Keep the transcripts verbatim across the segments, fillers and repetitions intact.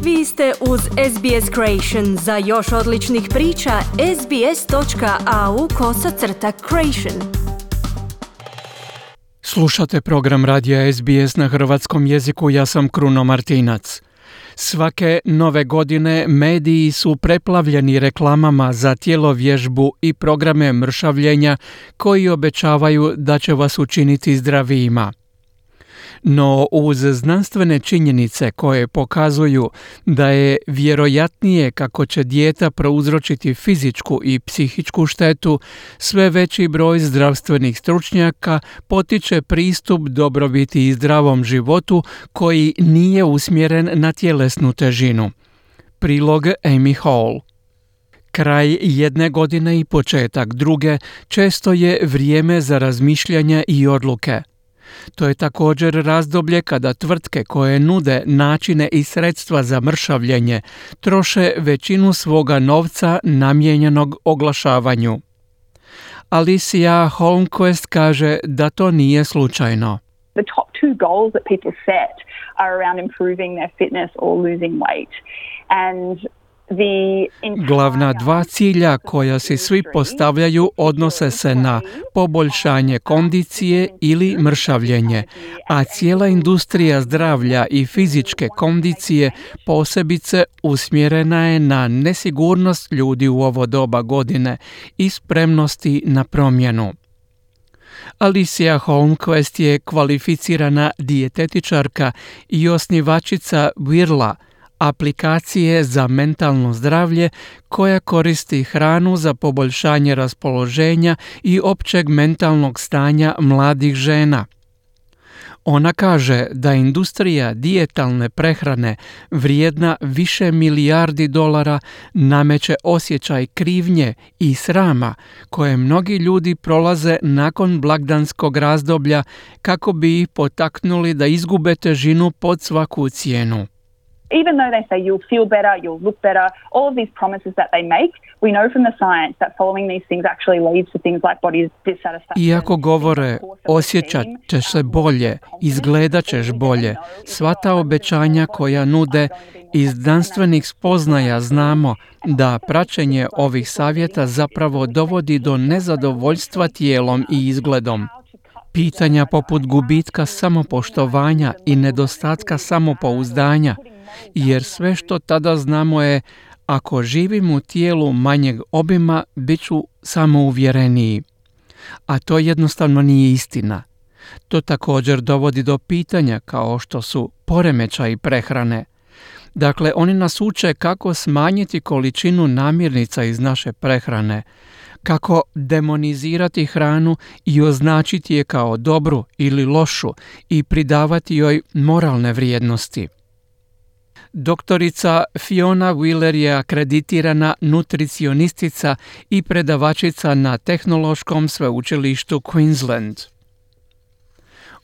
Vi ste uz S B S Creation. Za još odličnih priča, sbs.au kosacrta creation. Slušate program radija S B S na hrvatskom jeziku, ja sam Kruno Martinac. Svake nove godine mediji su preplavljeni reklamama za tjelovježbu i programe mršavljenja koji obećavaju da će vas učiniti zdravijima. No uz znanstvene činjenice koje pokazuju da je vjerojatnije kako će dijeta prouzročiti fizičku i psihičku štetu, sve veći broj zdravstvenih stručnjaka potiče pristup dobrobiti i zdravom životu koji nije usmjeren na tjelesnu težinu. Prilog Amy Hall. Kraj jedne godine i početak druge često je vrijeme za razmišljanja i odluke. To je također razdoblje kada tvrtke koje nude načine i sredstva za mršavljenje troše većinu svoga novca namijenjenog oglašavanju. Alicia Holmquist kaže da to nije slučajno. The top two goals that people set are around improving their fitness or losing weight. And Glavna dva cilja koja si svi postavljaju odnose se na poboljšanje kondicije ili mršavljenje, a cijela industrija zdravlja i fizičke kondicije posebice usmjerena je na nesigurnost ljudi u ovo doba godine i spremnosti na promjenu. Alicia Holmquist je kvalificirana dijetetičarka i osnivačica Virla, aplikacije za mentalno zdravlje koja koristi hranu za poboljšanje raspoloženja i općeg mentalnog stanja mladih žena. Ona kaže da industrija dijetalne prehrane vrijedna više milijardi dolara nameće osjećaj krivnje i srama koje mnogi ljudi prolaze nakon blagdanskog razdoblja kako bi ih potaknuli da izgube težinu pod svaku cijenu. Even though they say you'll feel better, you'll look better, all of these promises that they make, we know from the science that following these things actually leads to things like body dissatisfaction. Iako govore osjećat ćeš se bolje, izgledat ćeš bolje, sva ta obećanja koja nude iz znanstvenih spoznaja znamo da praćenje ovih savjeta zapravo dovodi do nezadovoljstva tijelom i izgledom. Pitanja poput gubitka samopoštovanja i nedostatka samopouzdanja, jer sve što tada znamo je ako živim u tijelu manjeg obima, bit ću samouvjereniji. A to jednostavno nije istina. To također dovodi do pitanja kao što su poremećaji prehrane. Dakle, oni nas uče kako smanjiti količinu namirnica iz naše prehrane, kako demonizirati hranu i označiti je kao dobru ili lošu i pridavati joj moralne vrijednosti. Doktorica Fiona Wheeler je akreditirana nutricionistica i predavačica na Tehnološkom sveučilištu Queensland.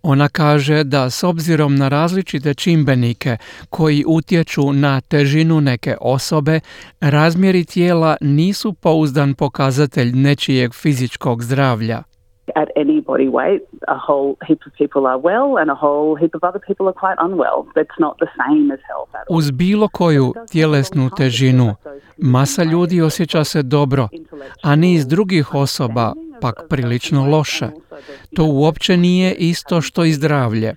Ona kaže da s obzirom na različite čimbenike koji utječu na težinu neke osobe, razmjeri tijela nisu pouzdan pokazatelj nečijeg fizičkog zdravlja. At any body weight, a whole heap of people are well and a whole heap of other people are quite unwell. That's not the same as health at all. Uz bilo koju tjelesnu težinu, masa ljudi osjeća se dobro, a niz drugih osoba pak prilično loše. To uopće nije isto što i zdravlje.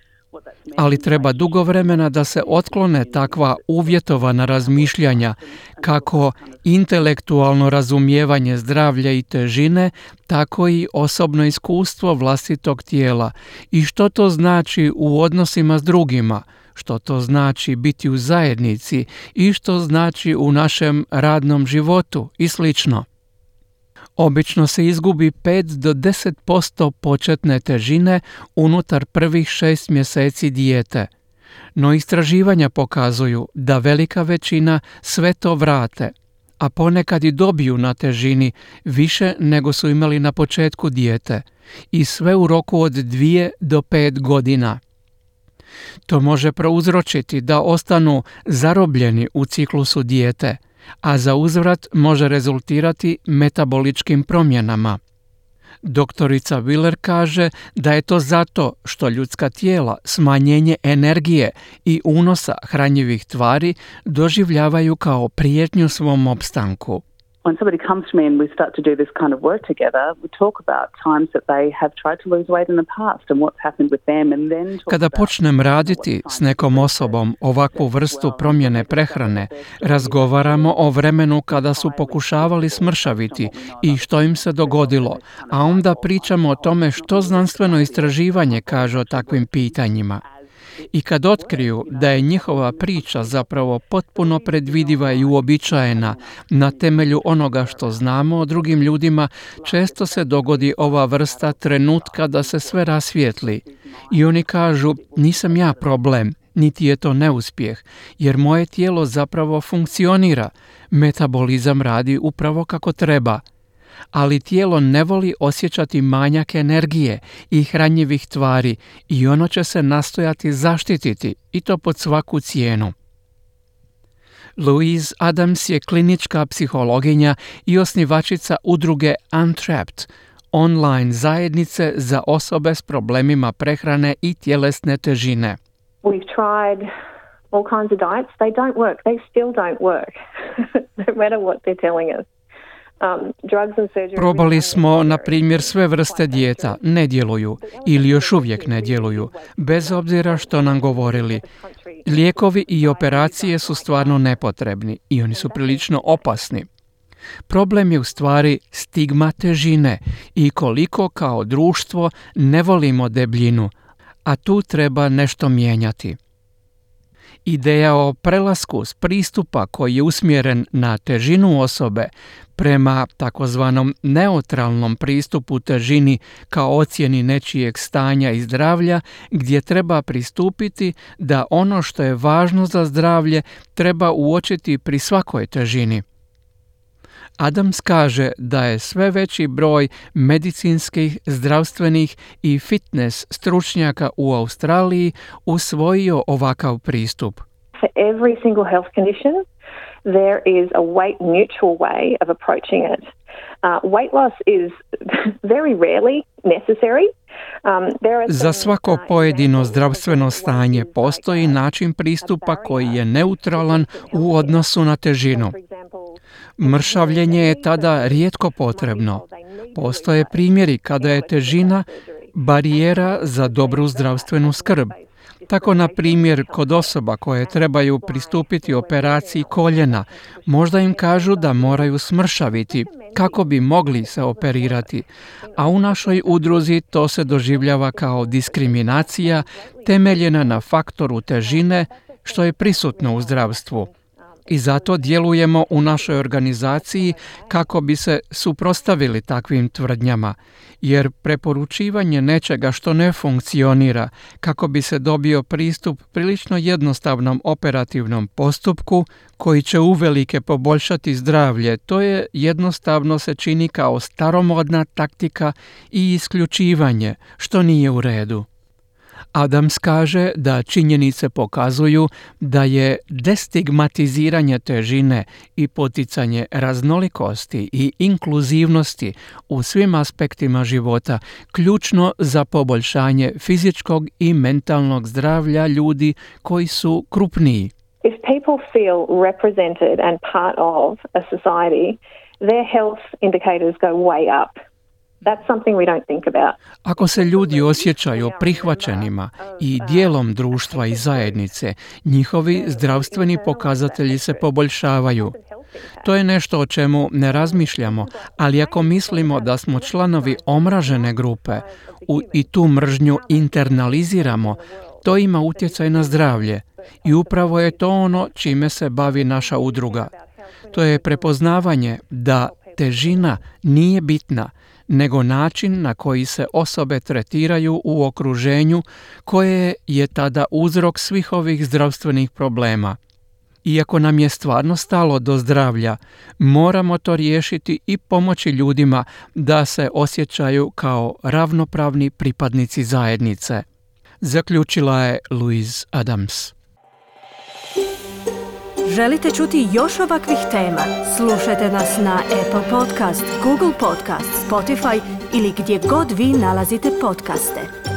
Ali treba dugo vremena da se otklone takva uvjetovana razmišljanja kako intelektualno razumijevanje zdravlja i težine, tako i osobno iskustvo vlastitog tijela i što to znači u odnosima s drugima, što to znači biti u zajednici i što znači u našem radnom životu i slično. Obično se izgubi pet do deset posto početne težine unutar prvih šest mjeseci dijete. No istraživanja pokazuju da velika većina sve to vrate, a ponekad i dobiju na težini više nego su imali na početku dijete i sve u roku od dvije do pet godina. To može prouzročiti da ostanu zarobljeni u ciklusu dijete, a za uzvrat može rezultirati metaboličkim promjenama. Doktorica Willer kaže da je to zato što ljudska tijela smanjenje energije i unosa hranjivih tvari doživljavaju kao prijetnju svom opstanku. When somebody comes to me and we start to do this kind of work together, we talk about times that they have tried to lose weight in the past and what's happened with them and then talk Kada about počnem raditi s nekom osobom ovakvu vrstu promjene prehrane, razgovaramo o vremenu kada su pokušavali smršaviti i što im se dogodilo, a onda pričamo o tome što znanstveno istraživanje kaže o takvim pitanjima. I kad otkriju da je njihova priča zapravo potpuno predvidiva i uobičajena na temelju onoga što znamo o drugim ljudima, često se dogodi ova vrsta trenutka da se sve rasvijetli. I oni kažu, nisam ja problem, niti je to neuspjeh, jer moje tijelo zapravo funkcionira, metabolizam radi upravo kako treba. Ali tijelo ne voli osjećati manjak energije i hranjivih tvari i ono će se nastojati zaštititi i to pod svaku cijenu. Louise Adams je klinička psihologinja i osnivačica udruge Untrapped, online zajednice za osobe s problemima prehrane i tjelesne težine. We've tried all kinds of diets. They don't work. They still don't work, no matter what they're telling us. Probali smo, na primjer, sve vrste dijeta, ne djeluju ili još uvijek ne djeluju, bez obzira što nam govorili. Lijekovi i operacije su stvarno nepotrebni i oni su prilično opasni. Problem je u stvari stigma težine i koliko kao društvo ne volimo debljinu, a tu treba nešto mijenjati. Ideja o prelasku s pristupa koji je usmjeren na težinu osobe prema takozvanom neutralnom pristupu težini kao ocjeni nečijeg stanja i zdravlja, gdje treba pristupiti da ono što je važno za zdravlje treba uočiti pri svakoj težini. Adams kaže da je sve veći broj medicinskih, zdravstvenih i fitness stručnjaka u Australiji usvojio ovakav pristup. For every single health condition, there is a weight neutral way of approaching it. Uh, weight loss is very rarely necessary. Um, there are Za svako pojedino zdravstveno stanje postoji način pristupa koji je neutralan u odnosu na težinu. Mršavljenje je tada rijetko potrebno. Postoje primjeri kada je težina barijera za dobru zdravstvenu skrb. Tako, na primjer, kod osoba koje trebaju pristupiti operaciji koljena, možda im kažu da moraju smršaviti kako bi mogli se operirati, a u našoj udruzi to se doživljava kao diskriminacija temeljena na faktoru težine što je prisutno u zdravstvu. I zato djelujemo u našoj organizaciji kako bi se suprotstavili takvim tvrdnjama, jer preporučivanje nečega što ne funkcionira kako bi se dobio pristup prilično jednostavnom operativnom postupku koji će uvelike poboljšati zdravlje, to je jednostavno se čini kao staromodna taktika i isključivanje, što nije u redu. Adams kaže da činjenice pokazuju da je destigmatiziranje težine i poticanje raznolikosti i inkluzivnosti u svim aspektima života ključno za poboljšanje fizičkog i mentalnog zdravlja ljudi koji su krupniji. If people feel represented and part of a society, their health indicators go way up. That's something we don't think about. Ako se ljudi osjećaju prihvaćenima i dijelom društva i zajednice, njihovi zdravstveni pokazatelji se poboljšavaju. To je nešto o čemu ne razmišljamo, ali ako mislimo da smo članovi omražene grupe u, i tu mržnju internaliziramo, to ima utjecaj na zdravlje. I upravo je to ono čime se bavi naša udruga. To je prepoznavanje da težina nije bitna, nego način na koji se osobe tretiraju u okruženju koje je tada uzrok svih ovih zdravstvenih problema. Iako nam je stvarno stalo do zdravlja, moramo to riješiti i pomoći ljudima da se osjećaju kao ravnopravni pripadnici zajednice. Zaključila je Louise Adams. Želite čuti još ovakvih tema? Slušajte nas na Apple Podcast, Google Podcast, Spotify ili gdje god vi nalazite podcaste.